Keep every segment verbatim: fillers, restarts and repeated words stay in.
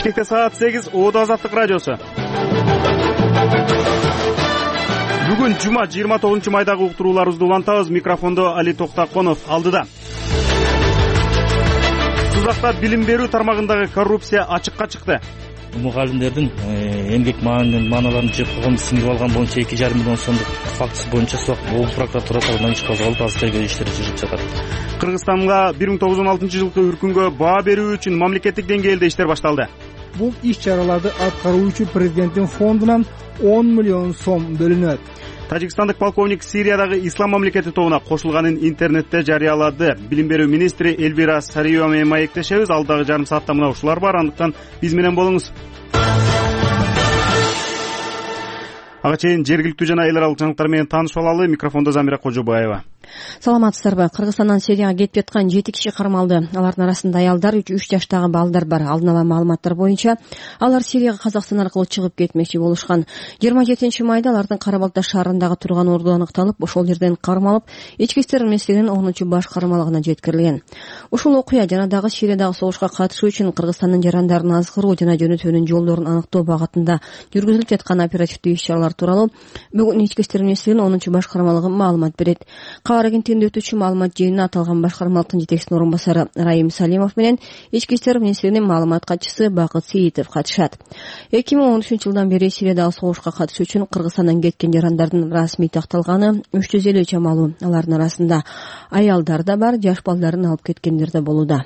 Бишкекте саат сегиз, Оодо Азаттык радиосу. Бүгүн жума жыйырма тогузунчу майдагы уктурууларыбызды улантабыз. Микрофондо Али Токтаконов алдыда. Сузакта билим берүү тармагындагы коррупция ачыкка чыкты. Мугалимдердин эмгек мааналарын жеп койгон, сиңирип алган боюнча эки жарым миллион сомдук фактысы боюнча Сузак облус прокуратура тарабынан иш козголуп, азыр тергөө иштери жүрүп жатат. Кыргызстанга бир миң тогуз жүз он алтынчы жылкы үркүнгө баа берүү үчүн мамлекеттик деңгээлде иштер башталды. Бул иш-чараларды аткаруучу президенттин фондунан он миллион сом бөлүнөт. Тажикстандык полковник Сириядагы ислам мамлекети тобуна кошулганын интернетте жарыялады. Билим берүү министри Эльвира Сариева менен маектешебиз. Алдагы жарым саатта мына ушулар бар, андыктан биз менен болуңуз. Ага чейин жергиликтүү жана эл аралык жаңылыктар менен таанышып алалы. Микрофондо Замира Кожобаева. Саламатсыздарбы? Кыргызстандан Сирияга кетип жаткан жети киши кармалды. Алардын арасында аялдар, үч жаштагы балдар бар. Алдын ала маалыматтар боюнча алар Сирияга Казакстан аркылуу чыгып кетмекчи болушкан. жыйырма жетинчи майда алардын Кара Балта шаарындагы турган орду аныкталып, ошол жерден кармалып, ички иштер министрлигинин онунчу баш кармалыгына жеткирилген. Ушул окуя жана дагы Сириядагы согушка катышуу үчүн Кыргызстандын жарандарын азгыруу жана жөнөтүүнүн жолдорун аныктоо багытында жүргүзүлүп жаткан оперативдүү иш-чаралар тууралуу бүгүн ички иштер министрлигинин онунчу баш кармалыгы маалымат берет. Кабар агенттигинде өтүүчү маалымат жыйынына аталган башкармалыктын жетекчисинин орун басары Раим Салимов менен ички иштер министрлигинин маалымат катчысы Бакыт Сейитов катышат. эки миң он үчүнчү жылдан бери Сириядагы согушка катышуу үчүн Кыргызстандан кеткен жарандардын расмий такталганы үч жүз элүү чамалуу. Алардын арасында аялдар да бар, жаш балдарын алып кеткендер да болууда.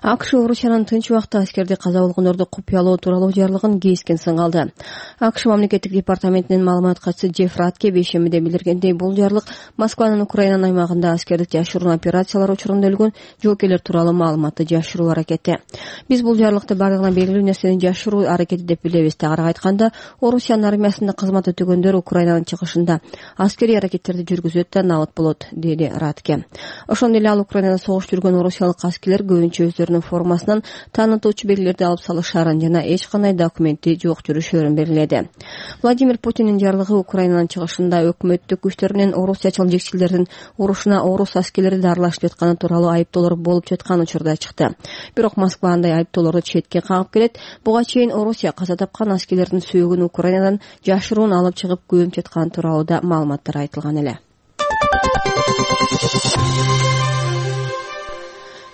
АКШ Орусиянын тынч убакта аскерди каза болгондорду купуялоо тууралуу жарлыгын кескен сыңалды. АКШ мамлекеттик департаментинин маалымат катчысы Джефф Ратке бейшембиде билдиргендей, бул жарлык Москванын Украинанын аймагында аскердик жашыруун операциялар учурунда өлгөн жоокерлер тууралуу маалыматты жашыруу аракети. Биз бул жарлыкты бардыгына белгилүү нерсени жашыруу аракети деп билебиз. Тагыраак айтканда, Орусиянын армиясында кызмат өтөгөндөр Украинанын чыгышында аскерий аракеттерди жүргүзөт да набыт болот, деди Ратке. Ошондой эле ал Украинада согуш жүргөн орусиялык аскерлер өздөрүнүн формасынан таанытуучу белгилерди алып салышаарын жана эч кандай документи жок жүрүшөрүн белгиледи. Владимир Путиндин жарлыгы Украинанын чыгышында өкмөттүк күчтөр менен орусиячыл жекчилердин урушуна орус аскерлери да аралашып жатканы тууралуу айыптоолор болуп жаткан учурда чыкты. Бирок Москва андай айыптоолорду четке кагып келет. Буга чейин Орусия каза тапкан аскерлердин сөөгүн Украинадан жашыруун алып чыгып көмүп жатканы тууралуу да маалыматтар айтылган эле.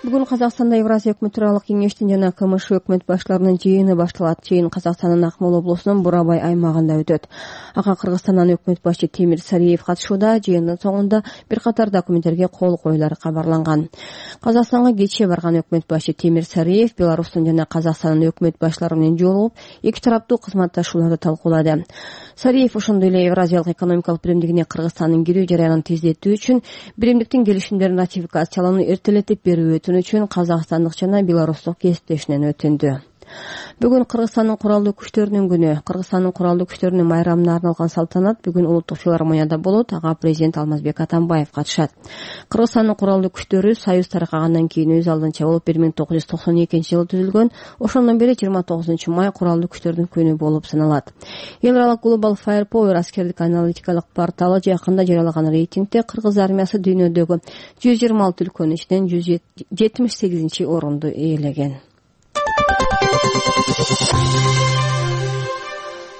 Бүгүн Казакстанда Евразия өкмөт тууралык кеңештин жана КМШ өкмөт баштарынын жыйыны башталат. Жыйын Казакстандын Акмола облусунун Бурабай аймагында өтөт. Ага Кыргызстандан өкмөт башы Темир Сариев катышууда. Жыйындын соңунда бир катар документтерге кол коюлары кабарланган. Казакстанга кечээ барган өкмөт башы Темир Сариев Беларустун жана Казакстандын өкмөт баштары менен жолугуп, эки тараптуу кызматташууларды талкуулады. Сариев ошондой эле Евразиялык экономикалык биримдигине Кыргызстандын кирүү жарыянын тездетүү үчүн биримдиктин келишимдерин ратификациялоону эртелетип берүү үчүн казакстандык жана белорустук кесиптешинен өтүндү. Бүгүн Кыргызстандын куралдуу күчтөрүнүн күнү. Кыргызстандын куралдуу күчтөрүнүн майрамына арналган салтанат бүгүн улуттук филармонияда болот. Ага президент Алмазбек Атамбаев катышат. Кыргызстандын куралдуу күчтөрү союз таркагандан кийин өз алдынча болуп бир миң тогуз жүз токсон экинчи жылы түзүлгөн. Ошондон бери жыйырма тогузунчу май куралдуу күчтөрдүн күнү болуп саналат. Эл аралык Global Firepower аскердик аналитикалык порталы жакында жарыялаган рейтингде кыргыз армиясы дүйнөдөгү жүз жыйырма алты өлкөнүн ичинен жүз жетимиш сегизинчи орунду ээлеген.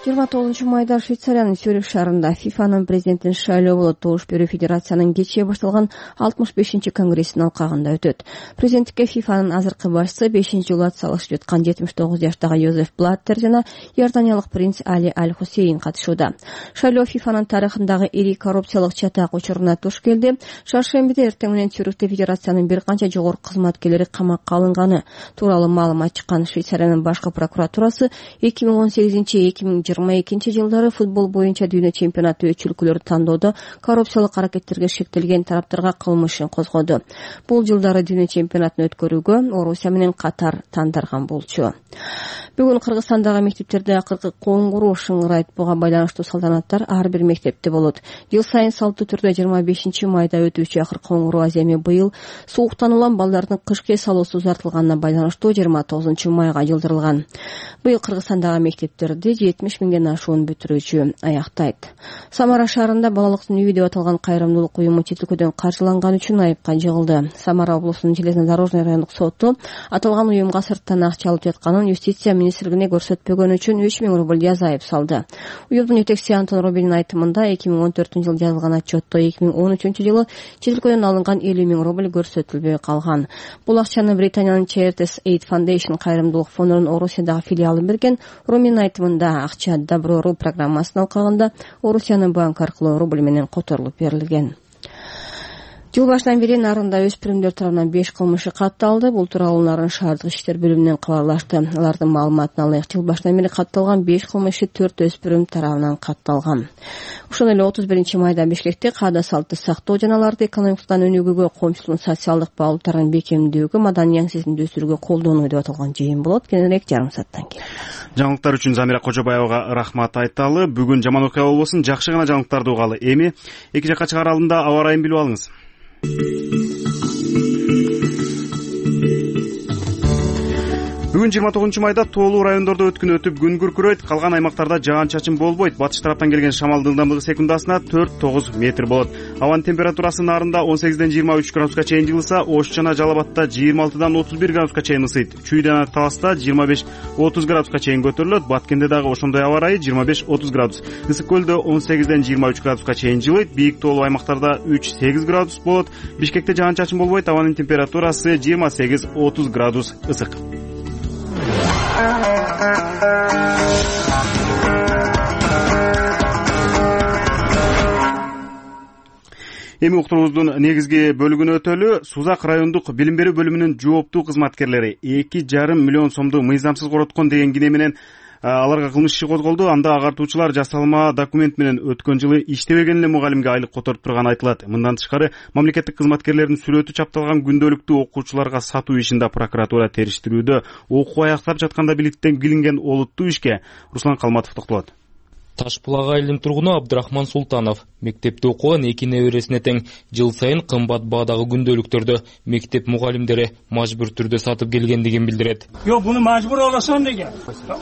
жыйырма тогузунчу майда Швейцариянын Цюрих шаарында ФИФАнын президентин шайлоо болот. Добуш берүү федерациянын кечээ башталган алтымыш бешинчи конгрессинин алкагында өтөт. Президенттикке ФИФАнын азыркы башчысы бешинчи жолу ат салышып жаткан жетимиш тогуз жаштагы Йозеф Блаттер жана Иорданиялык принц Али Аль-Хусейн катышууда. Шайлоо ФИФАнын тарыхындагы ири коррупциялык чатак учуруна туш келди. Шаршембиде эртең менен Цюрихте федерациянын бир канча жогорку кызматкерлери камакка алынганы тууралуу маалымат чыккан. Швейцариянын башкы прокуратурасы эки миң он сегизинчи эки миң жыйырма экинчи жылдары футбол боюнча дүйнө чемпионаты өчүлкүлөрү тандоодо коррупциялык аракеттерге шектелген тараптарга кылмыш ишин козгоду. Бул жылдары дүйнө чемпионатын өткөрүүгө Орусия менен Катар тандарган болчу. Бүгүн Кыргызстандагы мектептерде акыркы коңгуроо шыңырайт. Буга байланыштуу салтанаттар ар бир мектепте болот. Жыл сайын салттуу түрдө жыйырма бешинчи майда өтүүчү акыркы коңгуроо аземи быйыл сууктан улам балдардын кышкы эс алуусу узартылганына байланыштуу жыйырма тогузунчу майга жылдырылган. Быйыл Кыргызстандагы мектептерде жетимиш миңден ашуун бүтүрүүчү аяктайт. Самара шаарында балалыктын үйү деп аталган кайрымдуулук уюму чет өлкөдөн каржыланган үчүн айыпка жыгылды. Самара облусунун железнодорожный райондук соту аталган уюмга сырттан акча алып жатканын юстиция министрлигине көрсөтпөгөнү үчүн үч миң рубль жаза айып салды. Уюмдун жетекчиси Антон Робинин айтымында эки миң он төртүнчү жылы жазылган отчетто эки миң он үчүнчү жылы чет өлкөдөн алынган элүү миң рубль көрсөтүлбөй калган. Бул акчаны Британиянын Charities Aid Foundation кайрымдуулук фондунун Орусиядагы филиалы берген. Роминин айтымында акча Добро.ру программасынын алкагында Орусиянын банк аркылуу рубль менен которулуп берилген. Жыл башынан бери Нарында өспүрүмдөр тарабынан беш кылмышы катталды. Бул тууралуу Нарын шаардык иштер бөлүмүнөн кабарлашты. Алардын маалыматына ылайык, жыл башынан бери катталган беш кылмышы төрт өспүрүм тарабынан катталган. Ошондой эле отуз биринчи майда Бишкекте каада салтты сактоо жана аларды экономикадан өнүгүүгө, коомчулуктун социалдык багыттарын бекемдүүгө, маданий аңсесин өсүрүүгө колдонуу деп аталган жыйын болот. Кененирээк жарым сааттан кийин. Жаңылыктар үчүн Замира Кожобаевага рахмат айталы. Бүгүн жаман окуя болбосун, жакшы гана жаңылыктарды угалы. Эми эки жакка чыгаар алдында аба ырайын билип алыңыз. Бүгүн жыйырма тогузунчу майда тоолуу райондордо өткүн өтүп күн күркүрөйт, калган аймактарда жаан-чачын болбойт. Батыш тараптан келген шамалдын ылдамдыгы секундасына төрт тогуз метр болот. Абанын температурасы Нарында он сегизден жыйырма үч градуска чейин жылыса, Ош жана Жалал Абадта жыйырма алтыдан отуз бир градуска чейин ысыйт. Чүй жана Таласта жыйырма беш отуз градуска чейин көтөрүлөт. Баткенде дагы ошондой аба ырайы жыйырма беш отуз градус. Ысык көлдө он сегизден жыйырма үч градуска чейин жылыйт. Бийик тоолуу аймактарда үч сегиз градус болот. Бишкекте жаан-чачын болбойт. Абанын температурасы жыйырма сегиз отуз градус ысык. Эми уктуруубуздун негизги бөлүгүнө өтөлү. Сузак райондук билим берүү бөлүмүнүн жооптуу кызматкерлери эки жарым миллион сомду мыйзамсыз короткон деген кине менен аларга кылмыш иши козголду. Анда агартуучулар жасалма документ менен өткөн жылы иштебеген эле мугалимге айлык которуп турганы айтылат. Мындан тышкары мамлекеттик кызматкерлердин сүрөтү чапталган күндөлүктү окуучуларга сатуу ишинде прокуратура териштирүүдө окуу аяктап жатканда билинген олуттуу ишке Руслан Калматов токтолот. Таш булак айылынын тургуну Абдрахман Султанов мектепте окуган эки небересине тең жыл сайын кымбат баадагы күндөлүктөрдү мектеп мугалимдери мажбур түрдө сатып келгендигин билдирет. Жок, буну мажбур аласам деген.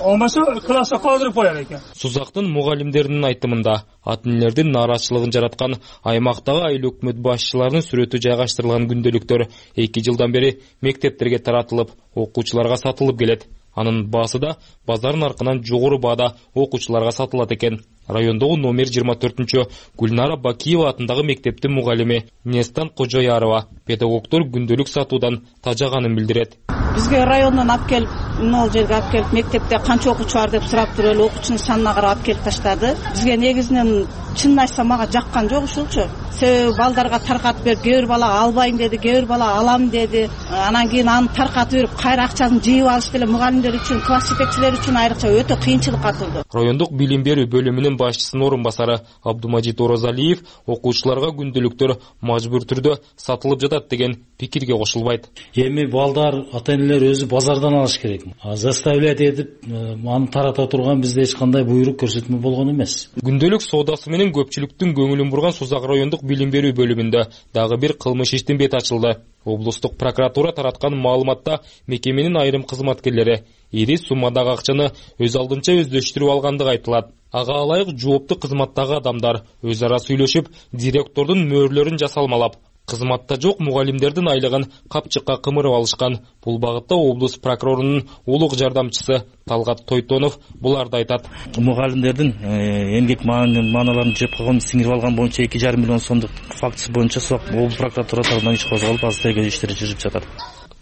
Олмаса класска калтырып коёр экен. Сузактын мугалимдеринин айтымында ата энелердин нааразычылыгын жараткан аймактагы айыл өкмөт башчыларынын сүрөтү жайгаштырылган күндөлүктөр эки жылдан бери мектептерге таратылып, окуучуларга сатылып келет. Анын баасы да базар наркынан жогору баада окуучуларга сатылат экен. Райондогу номер жыйырма төртүнчү Гүлнара Бакиева атындагы мектептин мугалими Нестан Кожоярова педагогдор күндөлүк сатуудан тажаганын билдирет. Бизге райондон алып келип, могул жерге алып келип, мектепте канча окуучу бар деп сурап туруп эле окуучунун санына карап алып келип таштады. Бизге негизинен чынын айтсам мага жаккан жок ушулчу. Себеби балдарга таркатып берип, кээ бир бала албайм деди, кээ бир бала алам деди. Анан кийин аны таркатып берип, кайра акчасын жыйып алыш деле мугалимдер үчүн, класс жетекчилери үчүн айрыкча өтө кыйынчылыкка атылды. Райондук билим берүү бөлүмүнүн башчысынын орун басары Абдумажит Орозалиев окуучуларга күндөлүктөр мажбур түрдө сатылып жатат деген пикирге кошулбайт. Эми балдар, ата энелер өзү базардан алыш керек. Заставлять этип аны тарата турган бизде эч кандай буйрук көрсөтмө болгон эмес. Күндөлүк соодасы менен көпчүлүктүн көңүлүн бурган Сузак райондук билим берүү бөлүмүндө дагы бир кылмыш иштин бети ачылды. Облустук прокуратура тараткан маалыматта мекеменин айрым кызматкерлери ири суммадагы акчаны өз алдынча өздөштүрүп алгандыгы айтылат. Ага ылайык жооптуу кызматтагы адамдар өз ара сүйлөшүп, директордун мөөрлөрүн жасалмалап, кызматта жок мугалимдердин айлыгын капчыкка кымырып алышкан. Бул багытта облус прокурорунун улук жардамчысы Талгат Тойтонов буларды айтат. Мугалимдердин эмгек мааналарын жеп койгон, сиңирип алган боюнча эки жарым миллион сомдук фактысы боюнча облус прокуратура тарабынан иш козголуп, азыр тергөө иштери жүрүп жатат.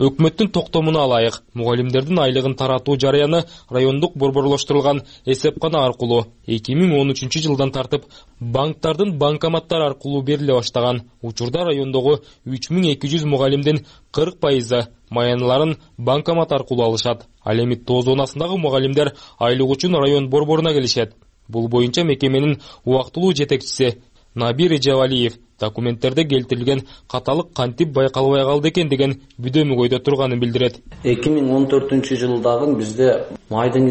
Өкмөттүн токтомуна ылайык мугалимдердин айлыгын таратуу жарыяны райондук борборлоштурулган эсепкана аркылуу эки миң он үчүнчү жылдан тартып банктардын банкоматтары аркылуу бериле баштаган. Учурда райондогу үч миң эки жүз мугалимдин кырк пайызы маяныларын банкомат аркылуу алышат. Ал эми тоо зонасындагы мугалимдер айлык үчүн район борборуна келишет. Бул боюнча мекеменин убактылуу жетекчиси Набир Эжевалиев документтерде келтирилген каталык кантип байкалбай калды экен деген бүдөмүгөйдө турганын билдирет. эки миң он төртүнчү жылдагы бизде майдын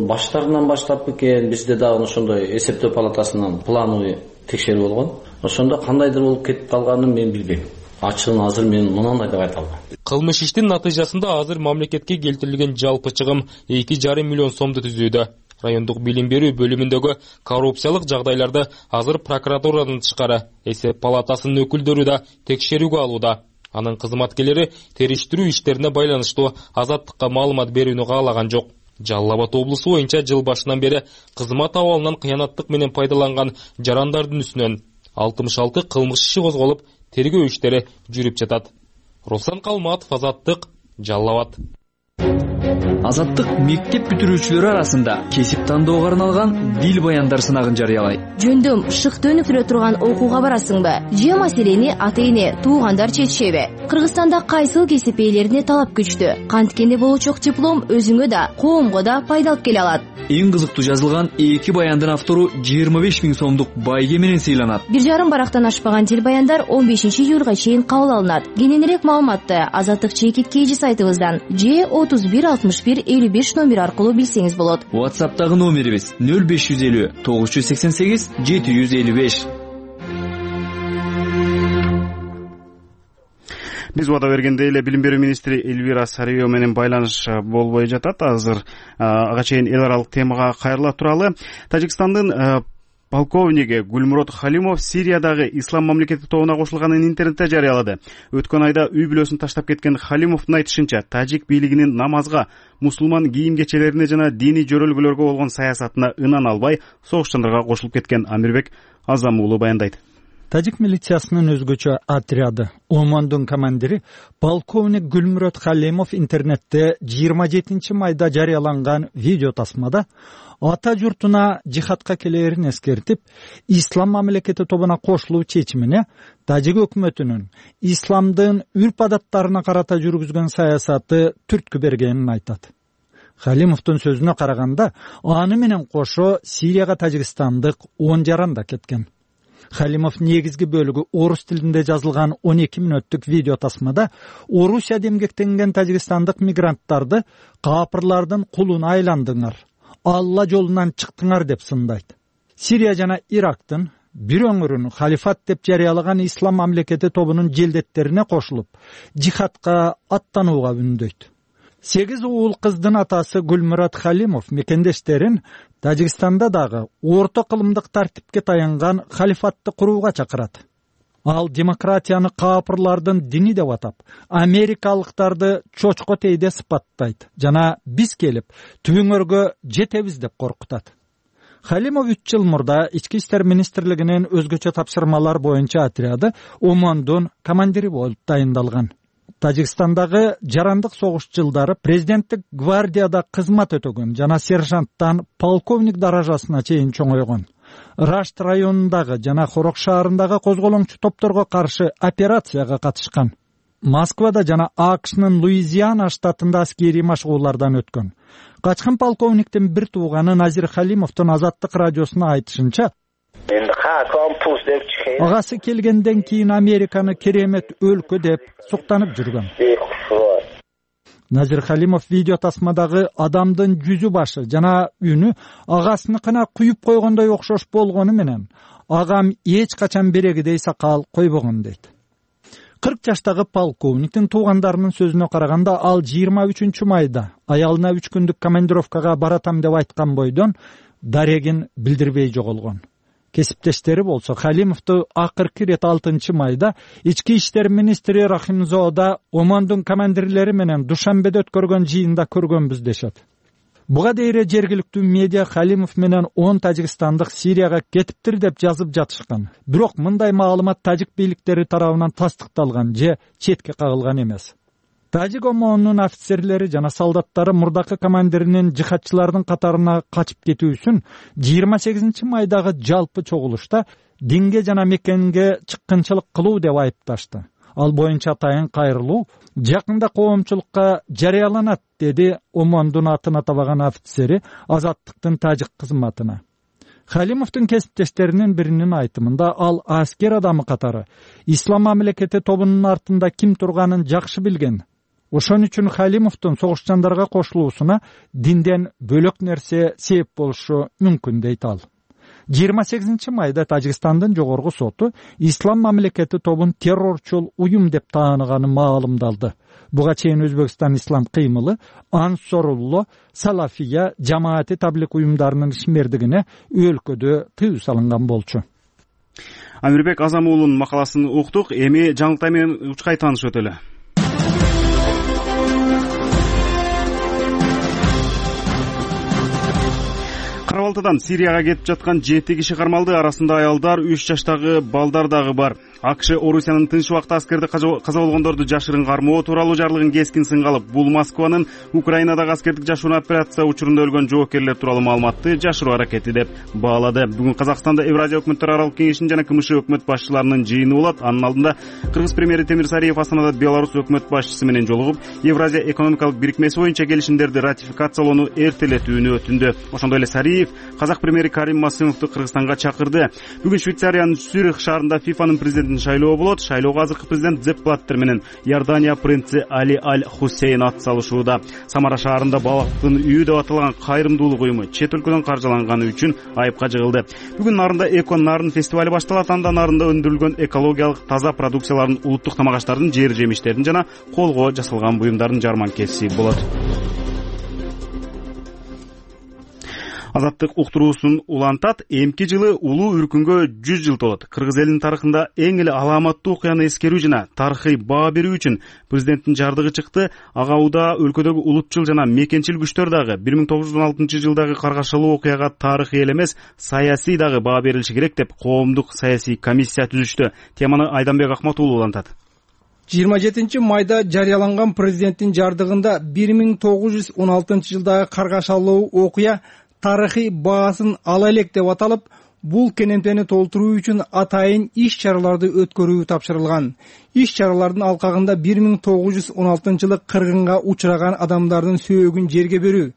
баштарынан баштап экен, бизде дагы ошондой эсептөө палатасынан плановый текшерүү болгон. Ошондо кандайдыр болуп кетип калганын мен билбейм. Ачыгын азыр мен мынандай деп айта албайм. Кылмыш иштин натыйжасында азыр мамлекетке келтирилген жалпы чыгым эки жарым миллион сомду түзүүдө. райондук билим берүү бөлүмүндөгү коррупциялык жагдайларды азыр прокуратуранын тышкары эсеп палатасынын өкүлдөрү да текшерүүгө алууда. Анын кызматкерлери териштирүү иштерине байланыштуу Азаттыкка маалымат берүүнү каалаган жок. Жалал Абад облусу боюнча жыл башынан бери кызмат абалынан кыянаттык менен пайдаланган жарандардын үстүнөн алтымыш алты кылмыш иши козголуп, тергөө иштери жүрүп жатат. Руслан Калматов, Азаттык, Жалал Абад. Азаттык мектеп бүтүрүүчүлөрү арасында кесип тандоого арналган дил баяндар сынагын жарыялайт. Жөндөм шыкты өнүктүрө турган окууга барасыңбы? Же маселени ата-эне, туугандар чечишеби? Кыргызстанда кайсыл кесип ээлерине талап күчтүү? Канткенде болочок диплом өзүңө да, коомго да пайда алып келе алат. Эң кызыктуу жазылган эки баяндын автору жыйырма беш миң сомдук байге менен сыйланат. Бир жарым барактан ашпаган дил баяндар он бешинчи июлга чейин кабыл алынат. Кененирээк маалыматты Азаттык чекит кейжи сайтыбыздан же отуз бир алтымыш бир элүү беш номер аркылуу билсеңиз болот. WhatsApp'тагы номерибиз нөл беш жүз элүү тогуз жүз сексен сегиз жети жүз элүү беш. Биз убада бергендей эле билим берүү министри Эльвира Сарыева менен байланыш болбой жатат. Азыр ага чейин эл аралык темага кайрыла туралы. Тажикстандын полковниги Гулмурод Халимов Сириядагы ислам мамлекети тобуна кошулганын интернетте жарыялады. Өткөн айда үй бүлөсүн таштап кеткен Халимовдун айтышынча, тажик бийлигинин намазга, мусулман кийим кечелерине жана диний жөрөлгөлөргө болгон саясатына ынан албай, согушчандарга кошулуп кеткен. Амирбек Азам уулу баяндайт. Тажик милициясынын өзгөчө отряды Омондун командири полковник Гулмурод Халимов интернетте жыйырма жетинчи майда жарыяланган видео тасмада ата журтуна жихадка келээрин эскертип, ислам мамлекети тобуна кошулуу чечимине тажик өкмөтүнүн исламдын үрп-адаттарына карата жүргүзгөн саясаты түрткү бергенин айтат. Халимовдун сөзүнө караганда, аны менен кошо Сирияга тажикстандык он жаран да кеткен. Халимов негизги бөлүгү орус тилинде жазылган он эки мүнөттүк видео тасмада Орусияда эмгектенген тажикстандык мигранттарды капырлардын кулуна айландыңар, Алла жолунан чыктыңар деп сындайт. Сирия жана Ирактын бир өңүрүн халифат деп жарыялаган ислам мамлекети тобунун желдеттерине кошулуп, жихадка аттанууга үндөйт. Сегиз уул кыздын атасы Гулмурод Халимов мекендештерин Тажикстанда дагы орто кылымдык тартипке таянган халифатты курууга чакырат. Ал демократияны капырлардын дини деп атап, америкалыктарды чочко тейде сыпаттайт жана биз келип түбүңөргө жетебиз деп коркутат. Халимов үч жыл мурда Ички иштер министрлигинин өзгөчө тапшырмалар боюнча отряды Омондун командири болуп дайындалган. Тажикстандагы жарандык согуш жылдары президенттик гвардияда кызмат өтөгөн жана сержанттан полковник даражасына чейин чоңойгон. Рашт районундагы жана Хорок шаарындагы козголоңчу топторго каршы операцияга катышкан. Москвада жана АКШнын Луизиана штатында аскерий машыгуулардан өткөн. Качкан полковниктин бир тууганы Назир Халимовдун Азаттык радиосуна айтышынча, агасы келгенден кийин Американы керемет өлкө деп суктанып жүргөн. Назир Халимов видео тасмадагы адамдын жүзү башы жана үнү агасыныкына куюп койгондой окшош болгону менен агам эч качан берегидей сакал койбогон дейт. кырк жаштагы полковниктин туугандарынын сөзүнө караганда, ал жыйырма үчүнчү майда аялына үч күндүк командировкага баратам деп айткан бойдон дарегин билдирбей жоголгон. Кесиптештери болсо Халимовду акыркы ирет алтынчы майда Ички иштер министри Рахимзода Омондун командирлери менен Душанбеде өткөргөн жыйында көргөнбүз дешет. Буга дейре жергиликтүү медиа Халимов менен он тажикстандык Сирияга кетиптир деп жазып жатышкан. Бирок мындай маалымат тажик бийликтери тарабынан тастыкталган же четке кагылган эмес. Тажик омонунун офицерлери жана солдаттары мурдакы командиринин жихадчылардын катарына качып кетүүсүн жыйырма сегизинчи майдагы жалпы чогулушта динге жана мекенге чыккынчылык кылуу деп айыпташты. Ал боюнча атайын кайрылуу жакында коомчулукка жарыяланат, деди Омондун атын атабаган офицери Азаттыктын тажик кызматына. Халимовдун кесиптештеринин биринин айтымында, ал аскер адамы катары ислам мамлекети тобунун артында ким турганын жакшы билген. Ошон үчүн Халимовдун согушчандарга кошулуусуна динден бөлөк нерсе себеп болушу мүмкүн дейт ал. жыйырма сегизинчи майда Тажикстандын жогорку соту Ислам мамлекети тобун террорчул уюм деп тааныганы маалымдалды. Буга чейин Өзбекстан ислам кыймылы Ансорулло, Салафия, жамаати таблик уюмдарынын ишмердигине өлкөдө тыюу салынган болчу. Амирбек Азам уулунун макаласын уктук. Эми жаңылыктай менен учкай таанышып өтөлү. кырк алтыдан Сирияга кетип жаткан жети киши кармалды. Арасында аялдар, үч жаштагы балдар дагы бар. АКШ Орусиянын тынч убакта аскерди каза болгондорду жашырын кармоо тууралуу жарлыгын кескин сынга алып, бул Москванын Украинадагы аскердик жашуун операция учурунда өлгөн жоокерлер тууралуу маалыматты жашыруу аракети деп баалады. Бүгүн Казакстанда Евразия өкмөттөр аралык кеңешинин жана КМШ өкмөт башчыларынын жыйыны болот. Анын алдында Кыргыз премьери Темир Сариев Астанада Беларусь өкмөт башчысы менен жолугуп, Евразия экономикалык бирикмеси боюнча келишимдерди ратификациялоону эртелетүүнү өтүндү. Ошондой эле Сариев Казак премьери Карим Масымовду Кыргызстанга чакырды. Бүгүн Швейцариянын Цюрих шаарында ФИФАнын президентин шайлоо болот. Шайлоого азыркы президент Зепп Блаттер менен Иордания принци Али Аль-Хусейн ат салышууда. Самара шаарында балактын үйү деп аталган кайрымдуулук уюму чет өлкөдөн каржыланганы үчүн айыпка жыгылды. Бүгүн Нарында Эко Нарын фестивали башталат. Анда Нарында өндүрүлгөн экологиялык таза продукциялардын, улуттук тамак аштардын, жер жемиштердин жана колго жасалган буюмдардын жарманкеси болот. Азаттык уктуруусун улантат. Эмки жылы улуу үркүнгө жүз жыл толот. Кыргыз элинин тарыхында эң эле аламаттуу окуяны эскерүү жана тарыхый баа берүү үчүн президенттин жардыгы чыкты. Ага Уда өлкөдөгү улутчул жана мекенчил күчтөр дагы бир миң тогуз жүз он алтынчы жылдагы каргашалуу окуяга тарыхый эле эмес, саясий дагы баа берилиши керек деп коомдук саясий комиссия түзүштү. Теманы Айданбек Акмат уулу улантат. жыйырма жетинчи майда жарыяланган президенттин жардыгында бир миң тогуз жүз он алтынчы жылдагы каргашалуу окуя тарыхый баасын ала элек деп аталып, бул кенемтени толтуруу үчүн атайын иш-чараларды өткөрүү тапшырылган. Иш-чаралардын алкагында бир миң тогуз жүз он алтынчы жылы кыргынга учураган адамдардын сөөгүн жерге берүү,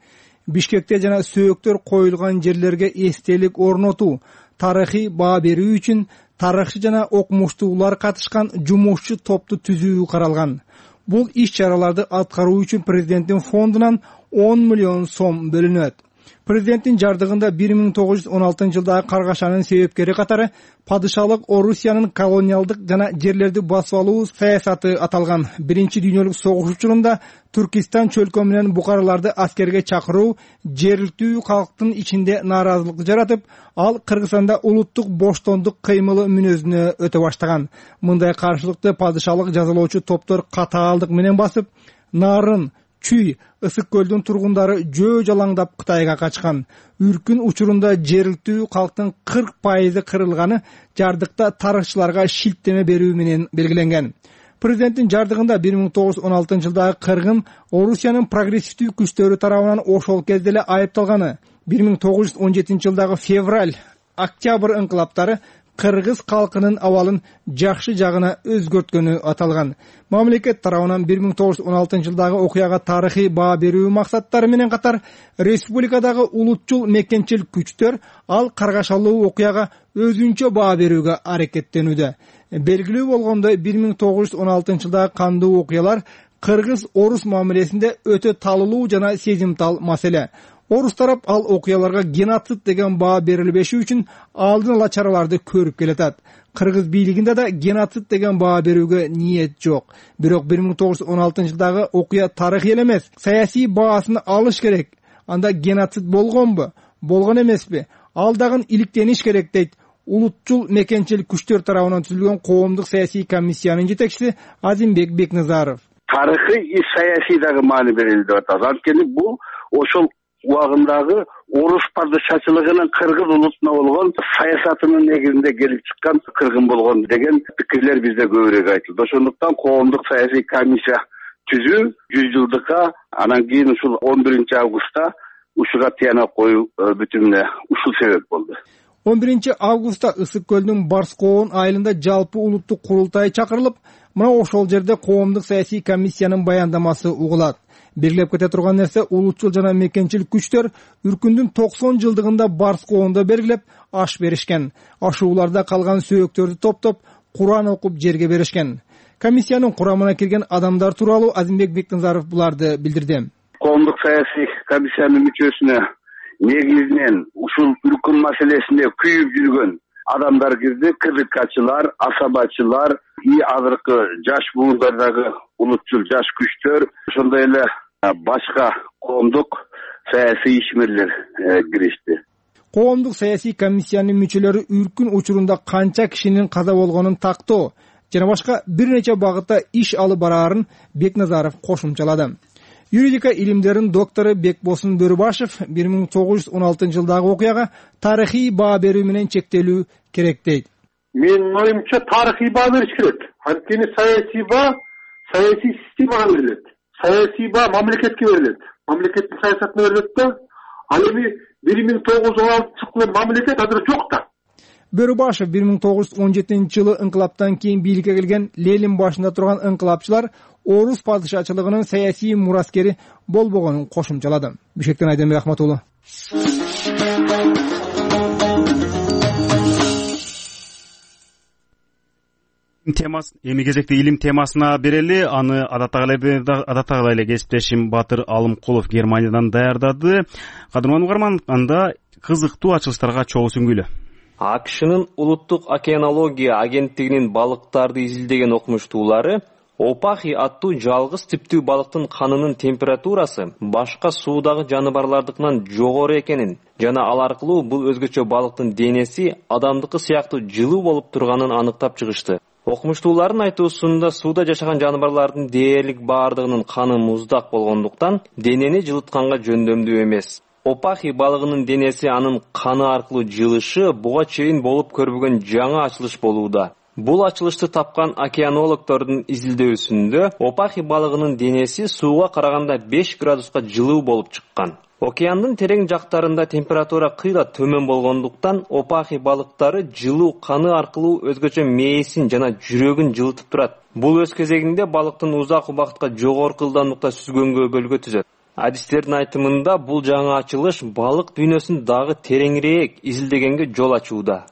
Бишкекте жана сөөктөр коюлган жерлерге эстелик орнотуу, тарыхый баа берүү үчүн тарыхчы жана окумуштуулар катышкан жумушчу топту түзүү каралган. Бул иш-чараларды аткаруу үчүн президенттин фондунан он миллион сом бөлүнөт. Президенттин жардыгында бир миң тогуз жүз он алтынчы жылдагы каргашанын себепкери катары падышалык Орусиянын колониалдык жана жерлерди басып алуу саясаты аталган. Биринчи дүйнөлүк согуш учурунда Түркистан чөлкө менен букараларды аскерге чакыруу жергиликтүү калктын ичинде нааразылык жаратып, ал Кыргызстанда улуттук боштондук кыймылы мүнөзүнө өтө баштаган. Мындай каршылыкты падышалык жазалоочу топтор катаалдык менен басып, Нарын, Чүй, Ысык көлдүн тургундары жөө жалаңдап Кытайга качкан. Үркүн учурунда жергиликтүү калктын кырк пайызы кырылганы жардыкта тарыхчыларга шилтеме берүү менен белгиленген. Президенттин жардыгында бир миң тогуз жүз он алтынчы жылдагы кыргын Орусиянын прогрессивдүү күчтөрү тарабынан ошол кезде эле айыпталганы. бир миң тогуз жүз он жетинчи жылдагы февраль, октябрь инкылаптары кыргыз калкынын абалын жакшы жагына өзгөрткөнү аталган. Мамлекет тарабынан бир миң тогуз жүз он алтынчы жылдагы окуяга тарыхый баа берүү максаттары менен катар республикадагы улутчул мекенчил күчтөр ал каргашалуу окуяга өзүнчө баа берүүгө аракеттенүүдө. Белгилүү болгондой бир миң тогуз жүз он алтынчы жылдагы кандуу окуялар кыргыз-орус мамилесинде өтө талылуу жана сезимтал маселе. Орус тарап ал окуяларга геноцид деген баа берилбеши үчүн алдын ала чараларды көрүп келатат. Кыргыз бийлигинде да геноцид деген баа берүүгө ниет жок. Бирок бир миң тогуз жүз он алтынчы жылдагы окуя тарыхый эле эмес, саясий баасын алыш керек. Анда геноцид болгонбу, болгон эмеспи? Ал дагы иликтениш керек дейт улутчул мекенчил күчтөр тарабынан түзүлгөн коомдук саясий комиссиянын жетекчиси Азимбек Бекназаров. Тарыхый и саясий дагы маани берилди деп атат. Анткени бул ошол убагындагы орус падышачылыгынын кыргыз улутуна болгон саясатынын негизинде келип чыккан кыргын болгон деген пикирлер бизде көбүрөөк айтылды. Ошондуктан коомдук саясий комиссия түзүү жүз жылдыкка, анан кийин ушул он биринчи августта ушуга тыянак коюу бүтүн эле ушул себеп болду. он биринчи августта Ысык көлдүн Барскоон айылында жалпы улуттук курултай чакырылып, мына ошол жерде коомдук саясий комиссиянын баяндамасы угулат. Белгилеп кете турган нерсе, улутчул жана мекенчил күчтөр үркүндүн токсон жылдыгында Барскоондо белгилеп аш беришкен. Ашууларда калган сөөктөрдү топтоп, Куран окуп жерге беришкен. Комиссиянын курамына кирген адамдар тууралуу Азимбек Бекназаров буларды билдирди. Коомдук саясий комиссиянын мүчөсүнө негизинен ушул үркүн маселесинде күйүп жүргөн адамдар кирди, кызыкчылар, асабачылар, и азыркы жаш буындардагы улутчул жаш күчтөр, ошондой эле башка коомдук саясий ишмерлер киришти. Коомдук саясий комиссиянын мүчөлөрү үркүн учурунда канча кишинин каза болгонун тактоо жана башка бир нече багытта иш алып бараарын Бекназаров кошумчалады. Юридика илимдеринин доктору Бекбосын Бөрүбашев бир миң тогуз жүз он алтынчы жылдагы окуяга тарыхый баа берүү менен чектелүү керек дейт. Менин оюмча тарыхый баа бериш керек. Анткени саясий баа саясий системага берилет. Саясий баа мамлекетке берилет. Мамлекеттин саясатына берилет да. Ал эми бир миң тогуз жүз он алтынчы жылы мамлекет азыр жок да. Бөрүбашев бир миң тогуз жүз он жетинчи жылы инкылаптан кийин бийликке келген Ленин башында турган инкылапчылар орус падышачылыгынын саясий мураскери болбогонун кошумчалады. Бишкектен Айденбек Ахматулы. Темас эми кезекте илим темасына берели. Аны адаттагы эле кесиптешим Батыр Алымкулов Германиядан даярдады. Кадырман угарман, анда кызыктуу ачылыштарга чогуу сүңгүлө. АКШнын улуттук океанология агенттигинин балыктарды изилдеген окумуштуулары Опахи аттуу жалгыз типтүү балыктын канынын температурасы башка суудагы жаныбарлардыкынан жогору экенин жана ал аркылуу бул өзгөчө балыктын денеси адамдыкы сыяктуу жылуу болуп турганын аныктап чыгышты. Окумуштуулардын айтуусунда сууда жашаган жаныбарлардын дээрлик баардыгынын каны муздак болгондуктан денени жылытканга жөндөмдүү эмес. Опахи балыгынын денеси анын каны аркылуу жылышы буга чейин болуп көрбөгөн жаңы ачылыш болууда. Бул ачылышты тапкан океанологдордун изилдөөсүндө Опахи балыгынын денеси сууга караганда беш градуска жылуу болуп чыккан. Океандын терең жактарында температура кыйла төмөн болгондуктан Опахи балыктары жылуу каны аркылуу өзгөчө мээсин жана жүрөгүн жылытып турат. Бул өз кезегинде балыктын узак убакытка жогорку ылдамдыкта сүзгөнгө өбөлгө түзөт. Адистердин айтымында бул жаңы ачылыш балык дүйнөсүн дагы тереңирээк изилдегенге жол ачууда.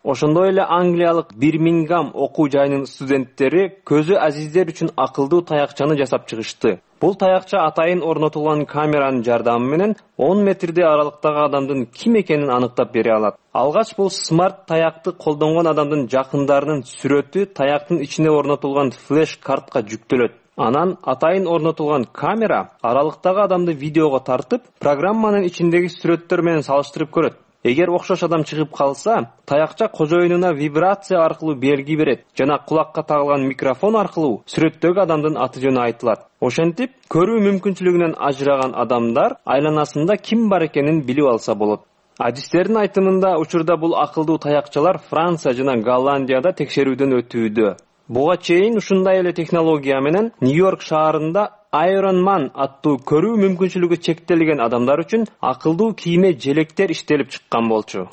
Ошондой эле англиялык Бирмингем окуу жайынын студенттери көзү азиздер үчүн акылдуу таякчаны жасап чыгышты. Бул таякча атайын орнотулган камеранын жардамы менен он метрде аралыктагы адамдын ким экенин аныктап бере алат. Алгач бул смарт таякты колдонгон адамдын жакындарынын сүрөтү таяктын ичине орнотулган флеш картка жүктөлөт. Анан атайын орнотулган камера аралыктагы адамды видеого тартып, программанын ичиндеги сүрөттөр менен салыштырып көрөт. Эгер окшош адам чыгып калса, таякча кожоюнуна вибрация аркылуу белги берет жана кулакка тагылган микрофон аркылуу сүрөттөгү адамдын аты жөнү айтылат. Ошентип, көрүү мүмкүнчүлүгүнөн ажыраган адамдар айланасында ким бар экенин билип алса болот. Адистердин айтымында учурда бул акылдуу таякчалар Франция жана Голландияда текшерүүдөн өтүүдө. Буга чейин ушундай эле технология менен Нью-Йорк шаарында Iron Man аттуу көрүү мүмкүнчүлүгү чектелген адамдар үчүн акылдуу кийме желектер иштелип чыккан болчу.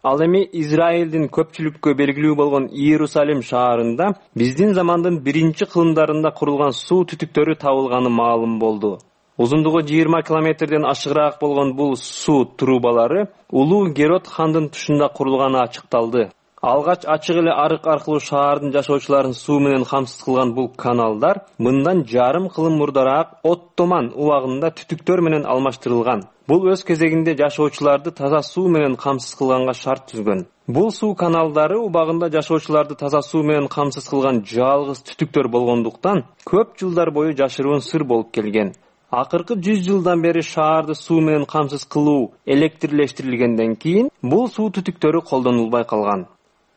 Ал эми Израилдин көпчүлүккө белгилүү болгон Иерусалим шаарында биздин замандын биринчи кылымдарында курулган суу түтүктөрү табылганы маалым болду. Узундугу жыйырма километрден ашыгыраак болгон бул суу трубалары улуу Герод хандын тушунда курулганы ачыкталды. Алгач ачык эле арык аркылуу шаардын жашоочуларын суу менен камсыз кылган бул каналдар мындан жарым кылым мурдараак Оттоман убагында түтүктөр менен алмаштырылган. Бул өз кезегинде жашоочуларды таза суу менен камсыз кылганга шарт түзгөн. Бул суу каналдары убагында жашоочуларды таза суу менен камсыз кылган жалгыз түтүктөр болгондуктан көп жылдар бою жашыруун сыр болуп келген. Акыркы жүз жылдан бери шаарды суу менен камсыз кылуу электрлештирилгенден кийин бул суу түтүктөрү колдонулбай калган.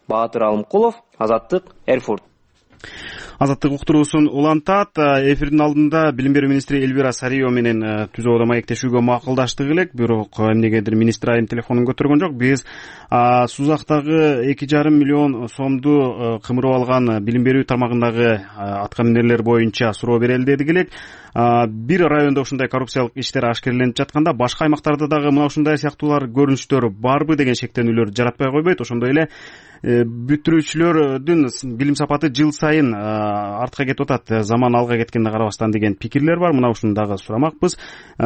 Батыр Алымкулов, Азаттык, Эрфурт. Азаттык уктуруусун улантат. Эфирдин алдында билим берүү министри Элвира Сариева менен түзүү оодо маектешүүгө макулдаштык элек, бирок эмнегедир министр айым телефонун көтөргөн жок. Биз Сузактагы эки жарым миллион сомду кымырып алган билим берүү тармагындагы аткаминерлер боюнча суроо берели дедик элек. Бир райондо ушундай коррупциялык иштер ашкереленип жатканда, башка аймактарда дагы мына ушундай сыяктуулар көрүнүштөр барбы деген шектенүүлөр жаратпай койбойт. Ошондой эле бүтүрүүчүлөрдүн билим сапаты жыл сайын артка кетип атат, заман алга кеткенине карабастан деген пикирлер бар. Мына ушуну дагы сурамакпыз.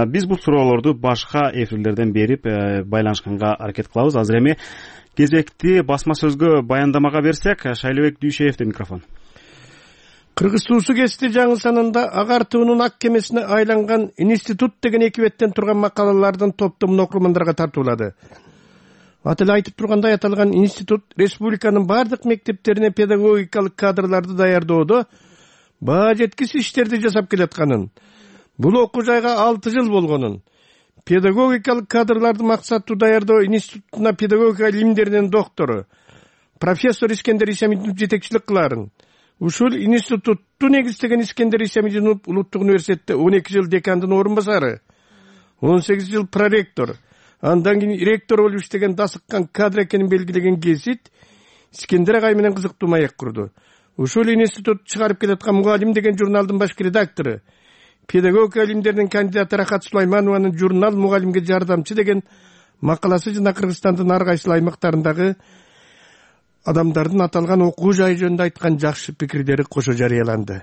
Биз бул суроолорду башка эфирлерден берип байланышканга аракет кылабыз. Азыр эми кезекти басма сөзгө баяндамага берсек, Шайлебек Дүйшеевдин микрофон. Кыргыз суусу кести жаңы санында агартуунун ак кемесине айланган институт деген эки беттен турган макалалардын топтомун окурмандарга тартуулады. Аты эле айтып тургандай, аталган институт республиканын бардык мектептерине педагогикалык кадрларды даярдоодо баа жеткис иштерди жасап келатканын, бул окуу жайга алты жыл болгонун, педагогикалык кадрларды максаттуу даярдоо институтуна педагогика илимдеринин доктору профессор Искендер Исамидинов жетекчилик кыларын, ушул институтту негиздеген Искендер Исамидинов улуттук университетте он эки жыл декандын орун басары, он сегиз жыл проректор, андан кийин ректор болуп иштеген дасыккан кадр экенин белгилеген Гесит Искендер агай менен кызыктуу маек курду. Ушул институт чыгарып келаткан Мугалим деген журналдын баш редактору, педагогика илимдеринин кандидаты Рахат Сулайманованын журнал Мугалимге жардамчы деген макаласы жана Кыргызстандын ар кайсы аймактарындагы адамдардын аталган окуу жайы жөнүндө айткан жакшы пикирлери кошо жарыяланды.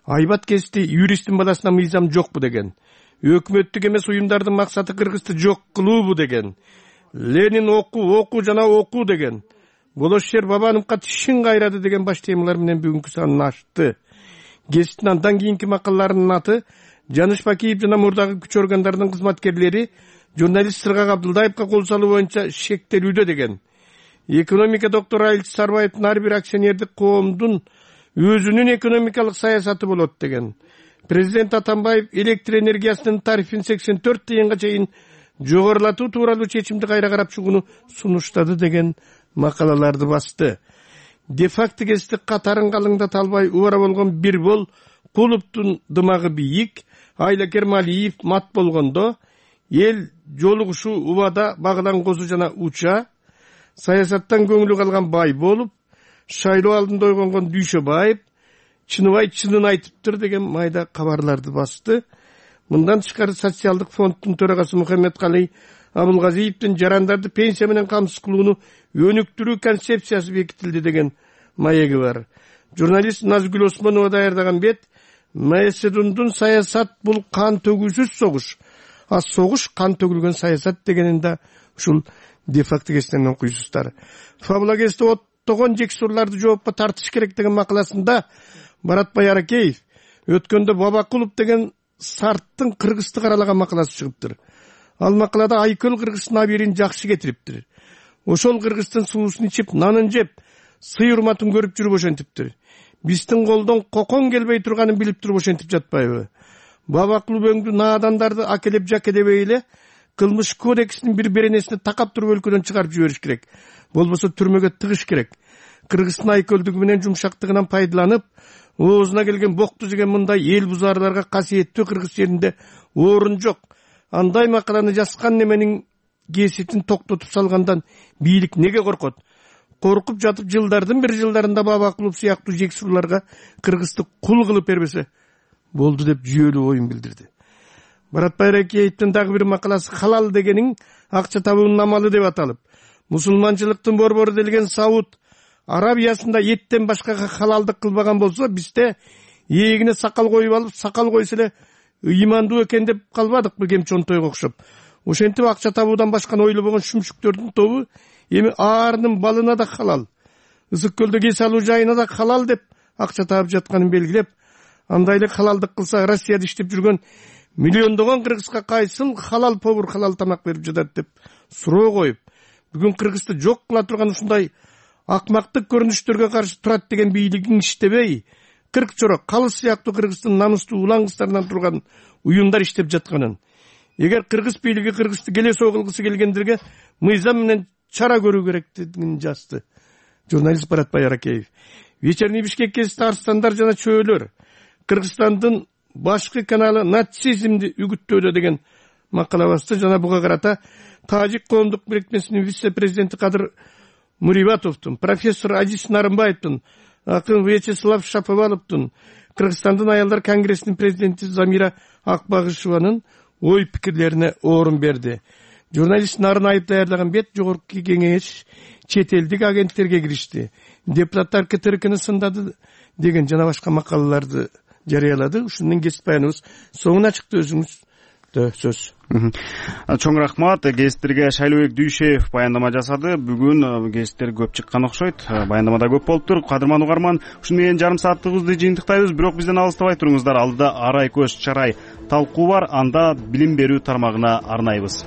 Айбат Кести юристтин баласына мыйзам жокпу деген, өкмөттүк эмес уюмдардын максаты Кыргызды жок кылуубу деген, Ленин окуу, окуу жана окуу деген, Болошер Бабановго тишин кайрады деген баш темалар менен бүгүнкү санын ачты. Геситтин андан кийинки макалаларынын аты Жаныш Бакиев жана мурдагы күч органдарынын кызматкерлери журналист Сыргак Абдылдаевга кол салуу боюнча шектелүүдө деген. Экономика доктору Айыл Сарбаевдин ар бир акционердик коомдун өзүнүн экономикалык саясаты болот деген. Президент Атамбаев электр энергиясынын тарифин сексен төрт тыйынга чейин жогорулатуу тууралуу чечимди кайра карап чыгууну сунуштады деген макалаларды басты. Де-факто кести катарын калыңдата албай убара болгон Бирбол Кулуптун дымагы бийик, Айла Кермалиев мат болгондо, эл жолугушуу убада Багылан Козу жана Уча, саясаттан көңүлү калган бай болуп, шайлоо алдында ойгонгон Дүйшөбаев, Чыныбай чынын айтыптыр деген майда кабарларды басты. Мындан тышкары социалдык фонддун төрагасы Мухаммедкалый Абылгазиевдин жарандарды пенсия менен камсыз кылууну өнүктүрүү концепциясы бекитилди деген маеги бар. Журналист Назгүл Осмонова даярдаган бет Маэседундун саясат бул кан төгүүсүз согуш, а согуш кан төгүлгөн саясат дегенин да ушул де-факто кестен окуйсуздар. Фабула кести оттогон жексурларды жоопко тартыш керек деген макаласында Баратбай Аракеев өткөндө Бабакулов деген сарттын Кыргызды каралаган макаласы чыгыптыр. Ал макалада Айкөл Кыргыздын абийирин жакшы кетириптир. Ошол Кыргыздын суусун ичип, нанын жеп, сый урматын көрүп жүрүп ошентиптир. Биздин колдон кокон келбей турганын билип туруп ошентип жатпайбы? Бабакулов өңдү наадандарды акелеп жакедебей эле кылмыш кодексинин бир беренесине такап туруп өлкөдөн чыгарып жибериш керек. Болбосо түрмөгө тыгыш керек. Кыргыздын айкөлдүгү менен жумшактыгынан пайдаланып, оозуна келген бокту жеген мындай эл бузарларга касиеттүү кыргыз жеринде орун жок. Андай макаланы жазган неменин кеситин токтотуп салгандан бийлик неге коркот? Коркуп жатып жылдардын бир жылдарында Бабакулов сыяктуу жексурларга Кыргызды кул кылып бербесе болду деп жүйөлүү оюн билдирди. Баратбай Аракеевдин дагы бир макаласы халал дегенин акча табуунун амалы деп аталып, мусулманчылыктын борбору делген Сауд Арабиясында эттен башка халалдык кылбаган болсо, бизде эгине сакал коюп алып, сакал койсо эле ыймандуу экен деп калбадыкпы кемчонтойго окшоп. Ошентип акча табуудан башканы ойлобогон шүмшүктөрдүн тобу эми аарынын балына да халал, ысык көлдө кес алуу жайына да халал деп акча таап жатканын белгилеп, андай эле халалдык кылса Россияда иштеп жүргөн миллиондогон кыргызга кайсыл халал повар халал тамак берип жатат деп суроо коюп, бүгүн Кыргызды жок кыла турган ушундай акмактык көрүнүштөргө каршы турат деген бийлигин иштебей, кырк чора калыс сыяктуу Кыргыздын намыстуу улан кыздарынан турган уюмдар иштеп жатканын, эгер кыргыз бийлиги Кыргызды келесоо кылгысы келгендерге мыйзам менен чара көрүү керектигин жазды журналист Баратбай Аракеев. Вечерний Бишкек кести арстандар жана чөөлөр Кыргызстандын башкы каналы нацизмди үгүттөөдө деген макала басты. Жана буга карата Тажик коомдук бирикмесинин вице-президенти Кадыр Мурибатовдун, профессор Азиз Нарымбаевдин, акын Вячеслав Шаповаловдун, Кыргызстандын аялдар конгрессинин президенти Замира Акбагышеванын ой пикирлерине орун берди. Журналист Нарынаев даярдаган бет жогорку кеңеш чет элдик агенттерге киришти, депутаттар КТРКны сындады деген жана башка макалаларды жарыялады. Ушунун кесип баяныбыз соңуна чыкты. Өзүңүз сөз. Чоң рахмат. Гезиттерге Шайлообек Дүйшеев баяндама жасады. Бүгүн гезиттер көп чыккан окшойт. Баяндамада көп болуптур. Кадырман угарман, ушуну менен жарым сааттыгыбызды жыйынтыктайбыз. Бирок бизден алыстабай туруңуздар. Алдыда арай көз чарай талкуу бар. Анда билим берүү тармагына арнайбыз.